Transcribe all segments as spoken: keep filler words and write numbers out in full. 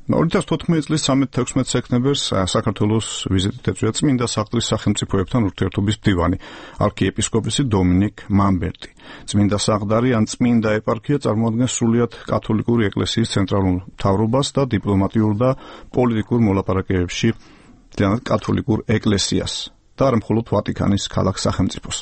ორი ათას თოთხმეტი წლის ცხრამეტ-თექვსმეტ სექტემბერს საქართველოს ვიზიტით ეწვია წმინდა საყდრის სახელმწიფოებთან ურთიერთობის მდივანი, არქიეპისკოპოსი დომინიკ მამბერტი. წმინდა საყდარი ან წმინდა ეპარქია წარმოადგენს სრულიად კათოლიკური ეკლესიის ცენტრალურ მთავრობას და დიპლომატიურ და პოლიტიკურ მოლაპარაკებებში კათოლიკურ ეკლესიას. და არა მხოლოდ ვატიკანის ქალაქ სახელმწიფოს.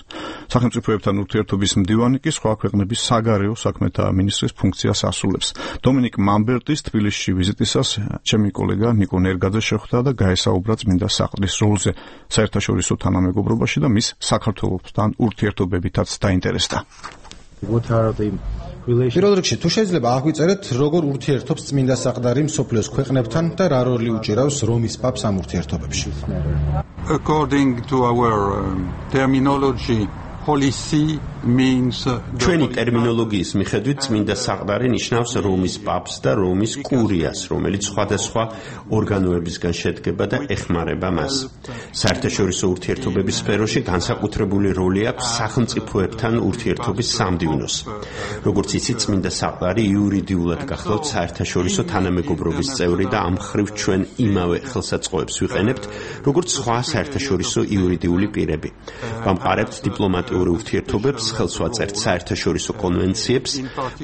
სახელმწიფოებთან ურთიერთობის მდივანი კი სხვა ქვეყნების საგარეო საქმეთა მინისტრის ფუნქციას ასრულებს. დომინიკ მამბერტის თბილისში ვიზიტისას ჩემი კოლეგა ნიკო ნერგაძე შეხვდა და გაესაუბრა წმინდა საყდრის როლზე საერთაშორისო თანამეგობრობაში და მის საქართველოსთან ურთიერთობებითაც დაინტერესდა. პირველ რიგში თუ შეიძლება აღვიწერეთ როგორ ურთიერთობს წმინდა საყდარი მსოფლიოს ქვეყნებთან და რა როლი უჭირავს რომის პაპს ამ ურთიერთობებში. According to our um, terminology, Holy See means ჩვენი ტერმინოლოგიის მიხედვით წმინდა საყდარი ნიშნავს რომის პაპს და რომის კურიას, რომელიც სხვადასხვა ორგანოებისგან შედგება და ეხმარება მას. საერთაშორისო ურთიერთობების სფეროში განსაკუთრებული როლი აქვს სახელმწიფოებთან ურთიერთობის სამდივნოს. როგორც იცით, წმინდა საყდარი იურიდიულად გახლავთ საერთაშორისო თანამეგობრობის წევრი და ამ მხრივ ჩვენ იმავე ხელსაწყოებს ვიყენებთ, როგორც სხვა საერთაშორისო იურიდიული პირები. ვამყარებთ დიპლომატიური ურთიერთობებს, ხელს ვაწერთ საერთაშორისო კონვენციებს,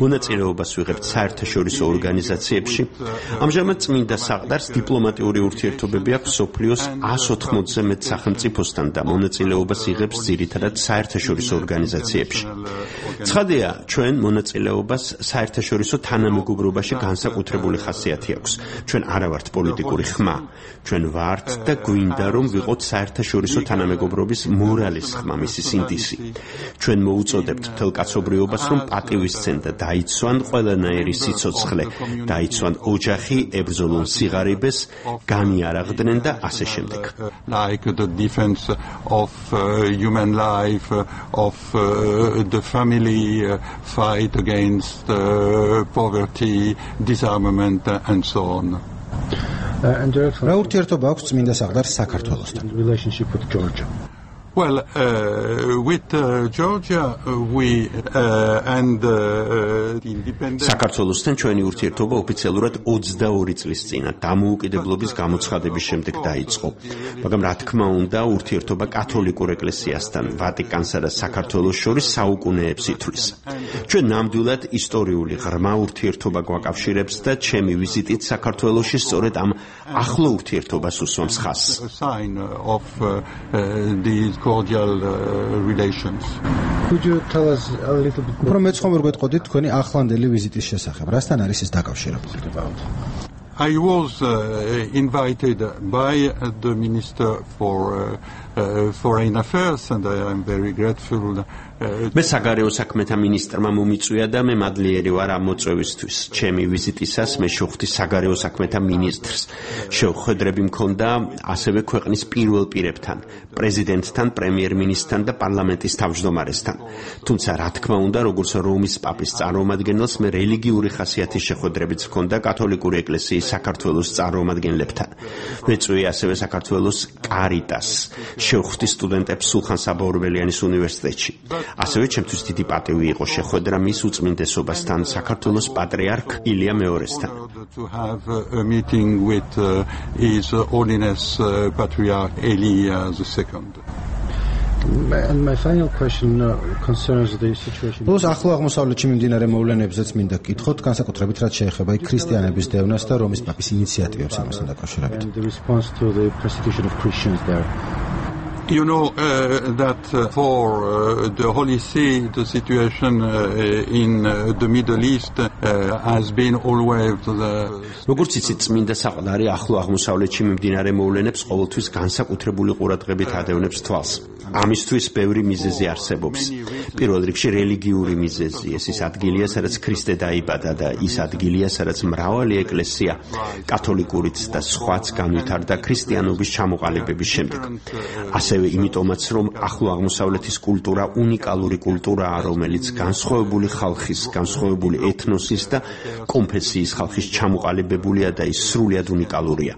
მონაწილეობას ვიღებთ საერთაშორისო ორგანიზაციებში. ამჟამად წმინდა საყდარს დიპლომატიური ურთიერთობები აქვს მსოფლიოს ას ოთხმოცზე მეტ სახელმწიფოსთან და მონაწილეობას იღებს ძირითადად საერთაშორისო ორგანიზაციებში. ცხადია, ჩვენ მონაწილეობას საერთაშორისო თანამეგობრობაში განსაკუთრებული ხასიათი აქვს. ჩვენ არა ვართ პოლიტიკური ხმა. ჩვენ ვართ და გვინდა რომ ვიყოთ საერთაშორისო თანამეგობრობის მორალის ხმა, მისი სინდისი. ჩვენ მოუწოდებთ მთელ კაცობრიობას, რომ პატივისცენ და დაიცვან ყველანაირი სიცოცხლე, დაიცვან ოჯახი, ებრძოლონ სიღარიბეს, განიარაღდნენ და ასე შემდეგ. Like the defense of uh, human life, of uh, the family, uh, fight against uh, poverty, disarmament and so on. რა ურთიერთობა აქვს წმინდა საყდარს საქართველოსთან? Well, uh, with uh, Georgia, uh, we uh, and uh, the independent. საქართველოსთან ჩვენი ურთიერთობა ოფიციალურად ოცდაორი წლის წინა დამოუკიდებლობის გამოცხადების შემდეგ დაიწყო. მაგრამ რა თქმა უნდა, ურთიერთობა კათოლიკურ ეკლესიასთან, ვატიკანსა და საქართველოს შორის საუკუნეებს ითვლის. ჩვენ ნამდვილად ისტორიული ღრმა ურთიერთობა გვაკავშირებს და ჩემი ვიზიტით საქართველოში სწორედ ამ ახლო ურთიერთობას უსვამს ხაზს. Cordial uh, relations. Could you tell us a little bit more? Უფრო მეცხოვარ გვეტყოდით თქვენი ახლანდელი ვიზიტის შესახებ. რასთან არის ეს დაკავშირებული? I was uh, invited by the Minister for uh, uh, Foreign Affairs and I am very grateful. მე საგარეო საქმეთა მინისტრმა მომიწვია და მე მადლიერი ვარ ამ მოწვევისთვის. ჩემი ვიზიტისას მე შევხვდი საგარეო საქმეთა მინისტრს. შეხვედრები მქონდა ასევე ქვეყნის პირველ პირებთან, პრეზიდენტთან, პრემიერ-მინისტრთან და პარლამენტის თავმჯდომარესთან. თუმცა რა თქმა უნდა, როგორც რომის პაპის წარმომადგენელს მე რელიგიური ხასიათის შეხვედრებიც მქონდა კათოლიკური ეკლესიის საქართველოს წარმომადგენლებთან. მეწვია ასევე საქართველოს კარიტასს. შევხვდი სტუდენტებს სულხან საბა ორბელიანის უნივერსიტეტში. ასევე ჩემთვის დიდი პატივი იყო შეხვედრა მის უწმინდესობასთან, საქართველოს პატრიარქ ილია მეორესთან. To have a meeting with uh, His Holiness uh, Patriarch Elia the second. And my final question uh, concerns the situation. Ბოლოს ახლო აღმოსავლეთში მიმდინარე მოვლენებზეც მინდა გკითხოთ, განსაკუთრებით რაც შეეხება ქრისტიანების დევნას და რომის პაპის ინიციატივებს ამასთან დაკავშირებით. And the response to the persecution of Christians there. You know uh, that uh, for uh, the Holy See, the situation uh, in uh, the Middle East uh, has been always the. როგორც იცით, წმინდა საყდარი ახლო აღმოსავლეთში მიმდინარე მოვლენებს ყოველთვის განსაკუთრებული ყურადღებით ადევნებს თვალს. ამისთვის ბევრი მიზეზი არსებობს. პირველ რიგში რელიგიური მიზეზი, ეს ის ადგილია, სადაც ქრისტე დაიბადა და ის ადგილია, სადაც მრავალი ეკლესია, კათოლიკურიც და სხვაც განვითარდა ქრისტიანობის ჩამოყალიბების შემდეგ. ასევე იმიტომაც, რომ ახლო აღმოსავლეთის კულტურა უნიკალური კულტურაა, რომელიც განსხვავებული ხალხის, განსხვავებული ეთნოსის და კონფესიის ხალხის ჩამოყალიბებულია და ის სრულიად უნიკალურია.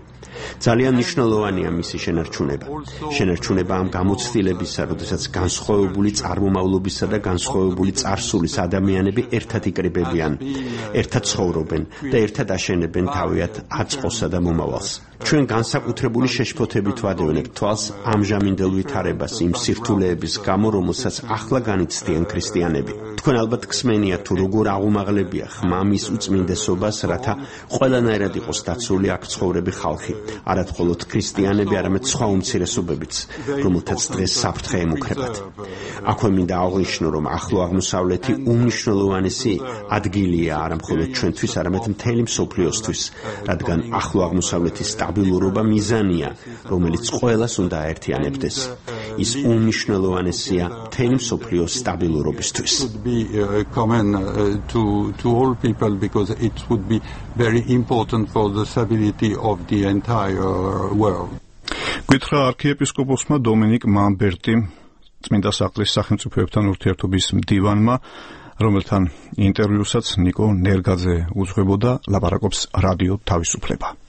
ძალიან მნიშვნელოვანია მისი შენარჩუნება. შენარჩუნება ამ გამოცდილებისა, როდესაც განსხვავებული წარმომავლობისა და განსხვავებული წარსულის ადამიანები ერთად იკრიბებიან, ერთად ცხოვრობენ და ერთად აშენებენ თავიანთ აწყოსა და მომავალს. ჩვენ განსაკუთრებული შეშფოთებით ვადევნებთ თვალს ამჟამინდელ ვითარებას იმ სირთულეების გამო, რომელსაც ახლა განიცდიან ქრისტიანები. თქვენ ალბათ გსმენიათ თუ როგორ აღუმაღლებია ხმამის უწმინდესობას, რათა ყველანაირად იყოს დაცული აქ ცხოვრები ხალხი, არა მხოლოდ ქრისტიანები, არამედ სხვა უმცირესობებიც, რომელთაც დღეს საფრთხე ემუქრებათ. აქვე მინდა აღვნიშნო, რომ ახლო აღმოსავლეთი უმნიშვნელოვანესი ადგილია არა მხოლოდ ჩვენთვის, არამედ მთელი მსოფლიოსთვის, რადგან ახლო აღმოსავლეთის სტაბილურობა მიზანია, რომელიც ყველას უნდა აერთიანებდეს. ის უმნიშვნელოვანესია მთელი მსოფლიოს სტაბილურობისთვის. Common uh, to to all people because it would be very important for the stability of the entire world. გითხრა არქიეპისკოპოსმა დომინიკ მამბერტიმ, წმინდა საყდრის სახელმწიფოებთან ურთიერთობის მდივანმა, რომელთან ინტერვიუსაც ნიკო ნერგაძე უძღვებოდა, ლაპარაკობს რადიო თავისუფლება.